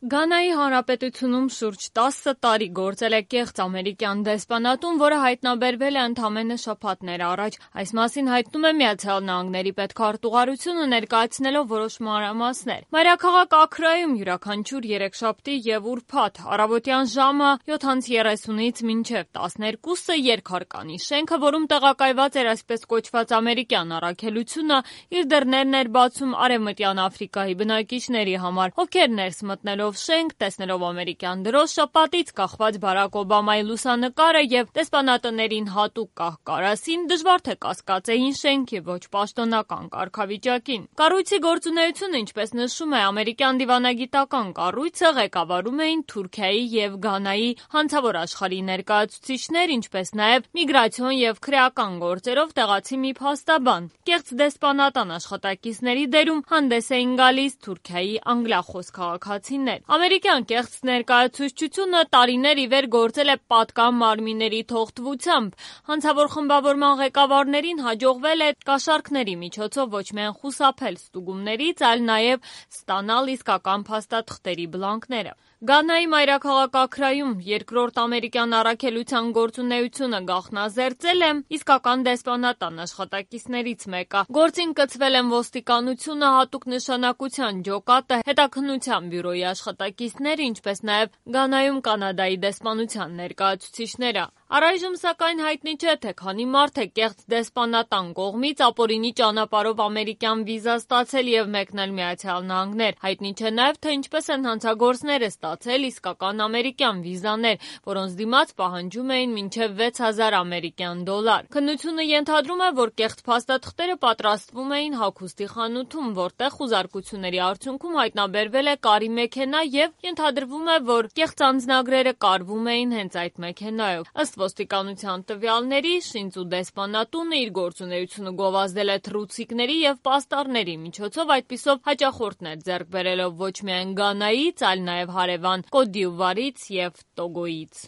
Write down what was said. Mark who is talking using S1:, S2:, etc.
S1: Գանայի Հանրապետությունում շուրջ 10 տարի գործել է կեղծ ամերիկյան դեսպանատուն, որը հայտնաբերվել է ընդամենը շաբաթներ առաջ։ Այս մասին հայտնում է ԱՄՆ պետքարտուղարությունը, ներկայացնելով որոշ մանրամասներ։ Մայրաքաղաք Աքրայում յուրաքանչյուր երեքշաբթի եւ ուրբաթ առավոտյան ժամը 7:30-ից մինչև 12-ը երկհարկանի շենքը, որում տեղակայված էր այսպես կոչված ամերիկյան առաքելությունը, իր դռներն էր բացում Արևմտյան Աֆրիկայի բնակիչների համար, ովքեր ներս մտնելով շենք, տեսնելով ամերիկյան դրոշը, պատից կախված Բարաք Օբամայի լուսանկարը եւ դեսպանատներին հատուկ կահ-կարասին դժվար թե կասկածեին շենքի ոչ պաշտոնական կարգավիճակին։ Կառույցի գործունեությունը, ինչպես նշում է ամերիկյան դիվանագիտական կառույցը, ղեկավարում էին Թուրքիայի եւ Գանայի հանցավոր աշխարհի ներկայացուցիչներ, ինչպես նաեւ միգրացիոն եւ քրեական գործերով տեղացի մի փաստաբան։ Կեղծ դեսպանատան աշխատակիցների դերում հանդես էին գալիս Թուրքիայի անգլիախոս քաղաքացիներ։ Ամերիկյան կեղծ ներկայացուցչությունը տարիներ ի վեր գործել է պատկան մարմինների թողտվությամբ։ Հանցավոր խմբավորման ղեկավարներին հաջողվել է կաշառքների միջոցով ոչ միայն խուսափել ստուգումներից, այլ նաև ստանալ իսկական փաստաթղթերի բլանկները։ Գանայի մայրաքաղաք Աքրայում երկրորդ ամերիկյան առաքելության գործունեությունը գաղտնազերծել է իսկական դեսպանատան աշխատակիցներից մեկը։ Գործին կցվել են ոստիկանությունը, հատուկ նշանակության ջոկատը, հետաքննության բյուրոյի աշխատակիցները, ինչպես նաև Գանայում Կանադայի դեսպանության ներկայացուցիչները։ Առայժմ սակայն հայտնի չէ, թե քանի մարդ է կեղծ դեսպանատան կողմից ապօրինի ճանապարհով ամերիկյան վիզա ստացել եւ մեկնել ԱՄՆ։ Հայտնի չէ նաեւ, թե ինչպես են հանցագործները ստացել իսկական ամերիկյան վիզաներ, որոնց դիմաց պահանջում էին մինչև 6000 ամերիկյան դոլար։ Քննությունը ենթադրում է, որ կեղծ փաստաթղթերը պատրաստվում էին հագուստի խանութում, որտեղ խուզարկությունների արդյունքում հայտնաբերվել է կարի մեքենա եւ ենթադրվում է, որ կեղծ անձնագրերը կարվում էին հենց այդ մեքենայով։ Ըստ ոստիկանության տվյալների, Շինձու դեսպանատունը իր գործունեությունը գովազդել է թռուցիկների եւ պաստառների միջոցով, այդպիսով հաճախորդներ ձեռք բերելով ոչ միայն Գանայից, այլ նաեւ հարևան Կոտ դ'Իվուարից եւ Տոգոյից։